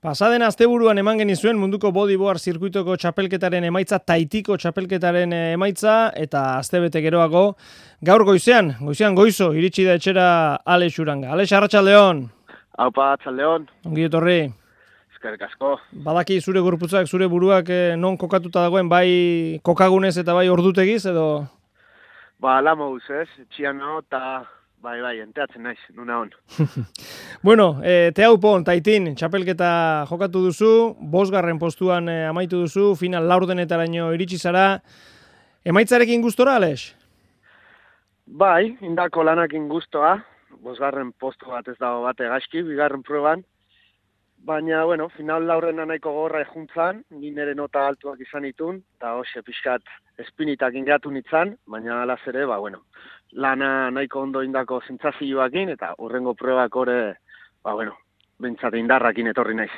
Pasaden asteburuan eman genizuen munduko bodyboard zirkuitoko txapelketaren emaitza, Taitiko txapelketaren emaitza, eta astebete geroago, gaur goizean goizo, iritsi da etxera Alex Uranga. Alex, arratsaldeon. Aupa, arratsaldeon. Ongi etorri. Eskerrik asko. Badaki zure gorputzak, zure buruak non kokatuta dagoen, bai kokagunez eta bai ordutegiz, edo? Ba, lamoguz ez, etxian no, eta bai, enteatzen naiz, nuna hon. Bueno, Teaupon, Taitin, txapelketa jokatu duzu, 5. postuan amaitu duzu, final laurdenetaraino iritsi zara. Emaitzarekin gustora, Alex? Bai, indako lanakin gustoa, 5. postu bat ez dago bate gaizki, 2. proban. Baina, bueno, final laurdena nahiko gorra ejuntzan, ni nire nota altuak izan itun, eta hoxe pixkat espinitak ingatu nitzan, baina alaz ere, bueno, lana nahiko ondo indako zentzazioakin, eta hurrengo probak ore, bentsate indarrakin etorri naiz.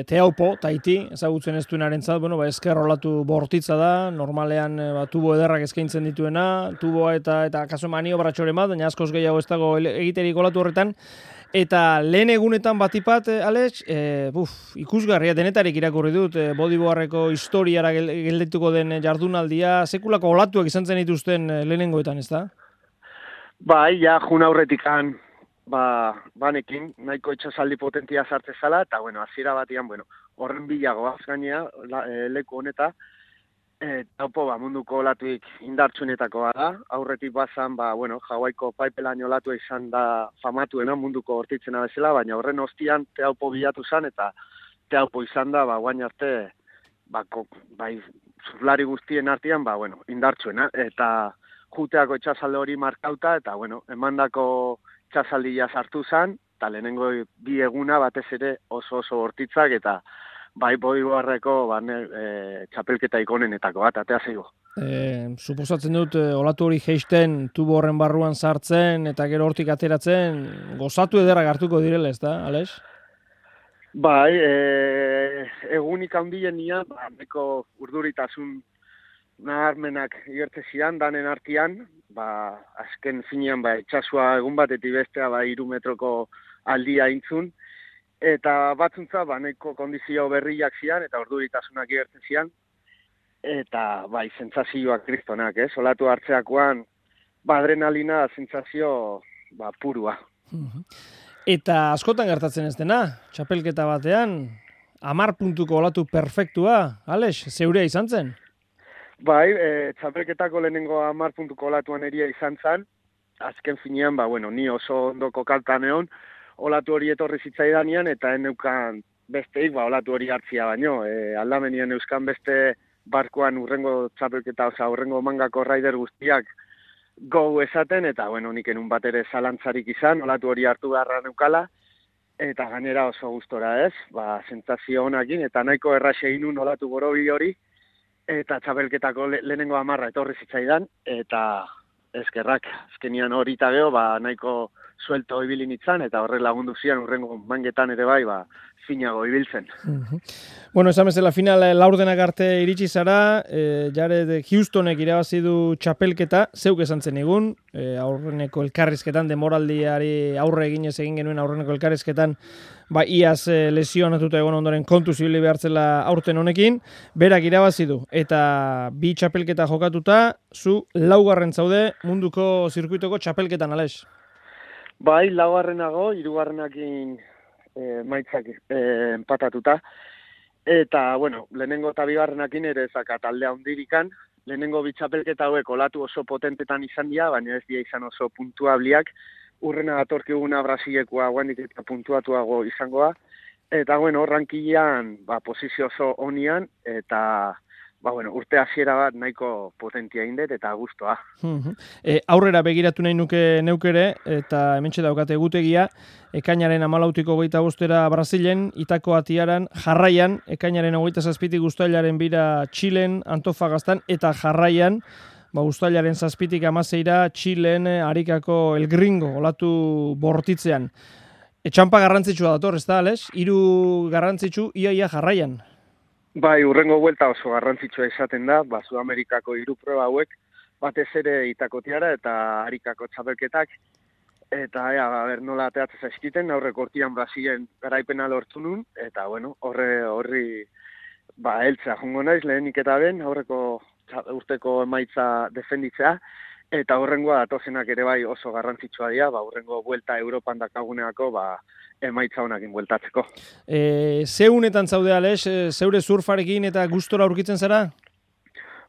Teaupo, Taiti, ezagutzen ez duenarentzat, esker rolatu bortitza da, normalean tubo ederrak eskaintzen dituena, tuboa eta kaso maniobratxoren bat, baina askoz gehiago ez dago egiterik olatu horretan. Eta lehen egunetan batipat, Alex, ikusgarria denetarik irakurri dut, bodyboardeko historiara geldetuko den jardunaldia, sekulako olatuak izan zen dituzten lehenengoetan, ez da? Bai, ja, jun aurretikan, banekin, nahiko itxasaldi potentia sartze zala, eta, hasiera batian, horren bilago azgainea, leku honeta, Taupo, munduko olatuik indartsuenetakoa da, aurretik bazan, Hawaiiko paipelaino olatua izan da famatuena munduko hortitzena bezala, baina horren ostian Teaupo bilatu zen, eta Teaupo izan da, guain arte, zurlari guztien artean, indartsuena, eta juteako itxasalde hori markauta, eta, emandako itxasaldia sartu zen, eta lehenengo bi eguna batez ere oso bortitzak, eta bodyboardeko txapelketa ikonenetako bat, atea zeigo. Suposatzen dut, olatu hori jeisten, tubo horren barruan sartzen, eta gero hortik ateratzen, gozatu ederrak hartuko direla, ez da, Alex? Bai, egunik handien nian, neko urduritasun naharmenak igertze zidan, danen artian, azken finean, itxasua egun batetik bestea, 3 metroko aldia intzun, eta batzuntza, neko kondizio berriak zian, eta orduritasunak igertzen zian, eta zentzazioak kristonak, olatu hartzeakoan, adrenalina zentzazio purua. Eta askotan gertatzen ez dena, txapelketa batean, 10 puntuko olatu perfektua, Alex, zeurea izan zen? Bai, txapelketako lehenengo 10 puntuko olatuan eria izan zen, azken finean, ni oso ondoko kaltan egon, olatu hori etorri zitzaidanean, eta neukan besteik, olatu hori hartzia baino. Aldamenien euskan beste barkoan urrengo txapelketa, urrengo mangako raider guztiak gau esaten, eta nik enun bat ere zalantzarik izan, olatu hori hartu beharra neukala, eta gainera oso gustora ez, sentsazio honakin, eta nahiko erraxe inun olatu borobi hori, eta txapelketako lehenengo 10 etorri zitzaidan, eta eskerrak, azkenian hori eta geho, nahiko suelto ibili nitzan, eta horrek lagundu zian urrengo mangetan ere finago ibiltzen. Esan bezala final laurdenak arte iritsi zara, Jared Houstonek irabazi du txapelketa, zeuk esan zen egun, aurreneko elkarrizketan, demoraldiari aurre eginez egin genuen aurreneko elkarrizketan, iaz lesionatuta egon ondoren kontu zibili behartzela aurten honekin, berak irabazi du, eta 2 txapelketa jokatuta, zu 4. zaude munduko zirkuitoko txapelketan, Alex? Bai, 4. 3. Maitzak empatatuta. Eta, lehenengo eta 2. ere ezaka taldea hondirikan. Lehenengo 2 txapelketa hauek olatu oso potentetan izan dira, baina ez dira izan oso puntuabliak. Urrena datorkiguna Brasilekoa guandik eta puntuatuago izangoa. Eta, rankilean, posizio oso honian, eta urte hasiera bat nahiko potentia indet eta gustoa. Aurrera begiratu nahi neukere, eta hementxe daukate egutegia, ekainaren 14-25 Brasilen, Itako Atiaran, jarraian, ekainaren 27 uztailaren 2 Txilen, Antofagastan, eta jarraian, uztailaren 7 16 Txilen, Arikako El Gringo, olatu bortitzean. Etxampa garrantzitsua dator, ez da, Alex? 3 garrantzitsu, ia jarraian. Bai, urrengo buelta oso garrantzitsua izaten da, Sudamerikako 3 proba hauek, batez ere Itakotiara eta Arikako txapelketak, eta nola ateatzen zaizkiten, aurreko urtean Brasilen garaipena lortu nun, eta bueno, horri heltzea jongo naiz lehenik eta ben, aurreko urteko emaitza defenditzea, eta horrengoa datozenak ere bai oso garrantzitsua dira, horrengo buelta Europan dakaguneako, emaitza honakin bueltatzeko. Zeunetan zaude, Alex, zeure surfarekin eta gustora aurkitzen zara?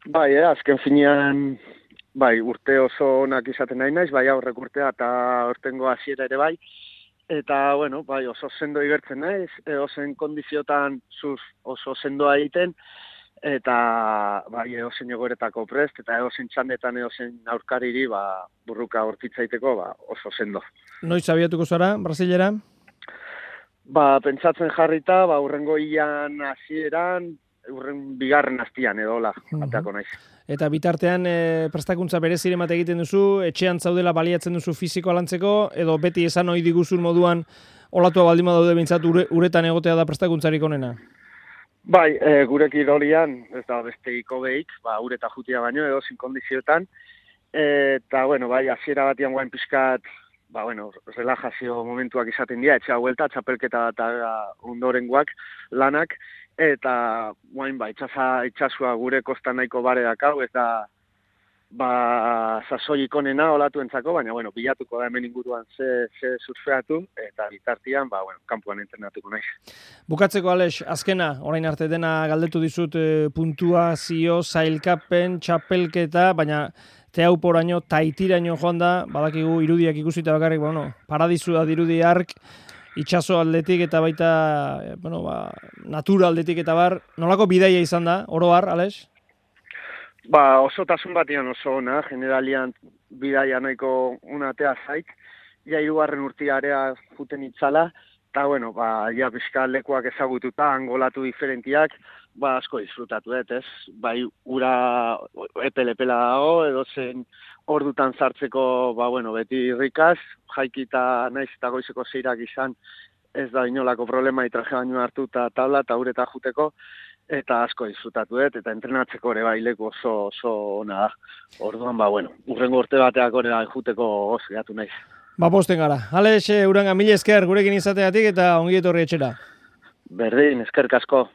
Bai, azken finean, urte oso onak izaten nahi naiz, aurrek urtea eta hortengo hasiera ere bai, eta, bueno, oso sendo igertzen naiz, ozen kondiziotan oso sendoa egiten, eta, eozen jogoretako prest, eta eozen txandetan eozen aurkariri, burruka hortitzaiteko, oso sendo. Noiz abiatuko zara, Brasilera? Pentsatzen jarrita, urrengo hilan hasieran, bigarren hastian edola, ateako naiz. Eta bitartean prestakuntza bereziren bat egiten duzu, etxean zaudela baliatzen duzu fisikoa lantzeko, edo beti esan ohi diguzun moduan olatua baldin badaude behintzat uretan egotea da prestakuntzarik onena? Gure kirolian, ez da beste ikobeik, ureta jutia baino edo zin kondizioetan, eta, hasiera batian guain pixkat, relajazio momentuak izaten dira, etxea huelta, txapelketa eta ondorengoak lanak, eta guain itxasua gure kostan nahiko bare dakau, ez da sasoik onena olatuentzako, baina bilatuko da hemen inguruan ze surfeatu, eta bitartian, kanpoan entrenatuko naiz. Bukatzeko, Alex, azkena, orain arte dena galdetu dizut puntuazio, sailkapen, txapelketa, baina teauporaino, taitiraino joan da, badakigu irudiak ikusita bakarrik, paradisua dirudi ark, itxaso aldetik eta baita, natura aldetik eta bar, nolako bidaia izan da, oro har, Alex? Osotasun batian oso ona, generalian bidaia nahiko unatea zait, hirugarren urtiarea juten itzala, eta pixka lekuak ezagututa, angolatu diferentiak, asko disfrutatu dut, ez? Ura epele-epela dago, edo zen ordutan sartzeko, beti irrikaz, jaikita naiz eta goizeko zeirak izan, ez da inolako problema traje baino hartu eta tabla eta ureta juteko, eta asko disfrutatu dut, eta entrenatzeko ere leku oso ona da. Orduan, urrengo urte bateak ere juteko gozgeatu naiz. Posten gara. Alex, Uranga, mila esker gurekin izateatik eta ongi etorri etxera. Berdin, eskerrik asko.